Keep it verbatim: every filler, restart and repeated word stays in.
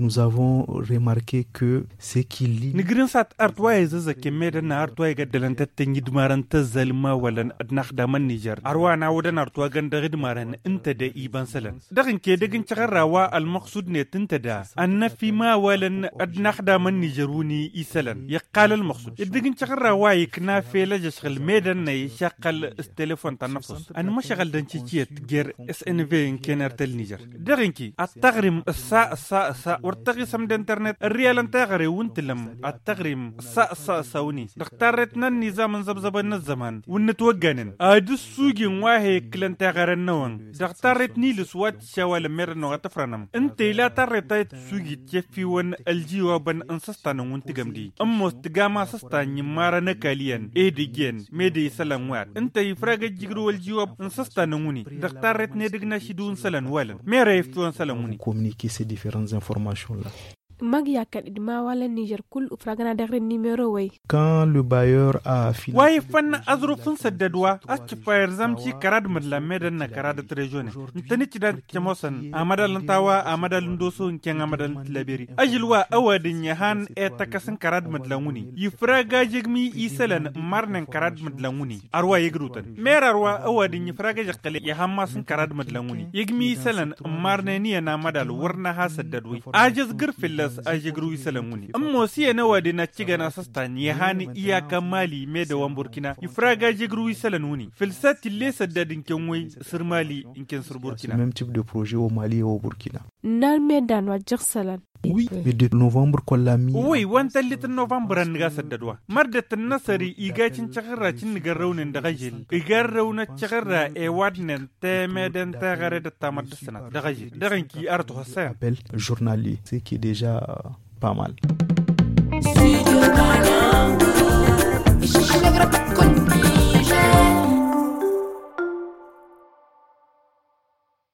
Nous avons remarqué que ce qui lie. Nǝgrǝnsat art wa izăzăkken medăn n-art wa igăddălăn tăttănj d-marăn tăzzal n-imawălăn d-inaxdam n-nižer ar wa n-awădăn art wa găn dăɣ-idmarăn ǝnta de ibăn sălăn. Dăɣ-inke dăgg-n căɣărra wa ălmăqsud-net ǝnta da ănnăf imawălăn d-inaxdam n-nižer wǝnni isălăn iqqal ălmăqsud. Dăgg-n căɣărra wa ikna fel ăžžăšɣǝl medăn n-a išaqqăl s-telefon ta n-năfus ănmăšɣăl d-ănciciyăt jer-snv n-kenăr tăl-nižer. Dăɣ-inki ăttăɣrim ǝssa ǝssa ǝssa wăr tăɣisăm d-internet ărriyalăn teɣăre wǝn tǝlăm ăttăɣrim ǝssa ǝssa ǝssa wǝni dăɣ-tarret n-ănnizam n-zăbzăbăn n-ăzzăman wǝnnǝt wăgganen ad-ǝssujin wa he-ǝkkǝlăn teɣăre-năwăn dăɣ-tarret n-ilǝs wa t-išawalăn merăn-năwăn ad-t-ǝfrănăm. Ǝnta ila tarret a i-tǝssujit ceffiwăn ăljiwabăn n-săstanăn wǝn tǝgăm-di ămoos tǝgam asăstan n-immarăn ăkall iyyăn edăgg iyyăn mede isălan wa-dăɣ ǝnta ifrag ăjjǝgrǝw ăljiwab n-săstanăn wǝni dăɣ-tarret n-edăgg n-ašidǝw n-isălan walăn mera eftiwăn isălan wǝni. Communiquer ces différentes informations-là. Măgg i-akkăn d-imawalăn n-nižer kull ufragăn ad-eɣrǝn nimero-wăy. Quand le bailleur a fini. Wa iffăn aẓruf n-săddăd wa a-s cǝffa irzam ci kăra d-mădlan medăn n-akăra dăt-režone ǝntănǝcc dan cămoosăn amădal n-tawa amădal n-doso ǝnken amădal n-tilaberi ažǝl wa ăwadǝny ihăn i-tăkăs n-kăra d-mădlan wǝni ifrag ažegmi isălăn n-marnen kăra d-mădlan wǝni. Ar wa igrǝwtăn mer ar wa ăwadǝny ifrag ažăqqăl ihăn mass n-kăra d-mădlan wǝni igmi isălăn n-marnen iyyăn amădal wăr n-aha săddăd wi ažăzgǝr fǝlla-s ažăgrǝw isălăn wǝni ămoos iyyăn ăwadǝn ad-cǝgăn asăstan ihăn iyyăk amali medăwăn burkina ifrag ažăgrǝw isălăn wǝni fǝll-s a t-ille săddăd ǝnken wi săr mali ǝnken săr burkina. Mem tip de projet o mali o burkina. N-almedan wa ăjjăɣ isălan. Wi. De novămbăr kălla mi. Wi wa n-tăllit n-novămbăr ănnăga săddăd wa mărdăt n-năsări iga cǝncăɣ ărra cǝnnǝgărrăwnen dăɣ-ažil igarrăwnăt căɣ ărra i-wadnen temeden teɣăre d-ăttamăr d-ǝssănat dăɣ-ažil dăɣ-inki arăt oxăssăyăm. Apel jurnali ce qui est deja pas mal.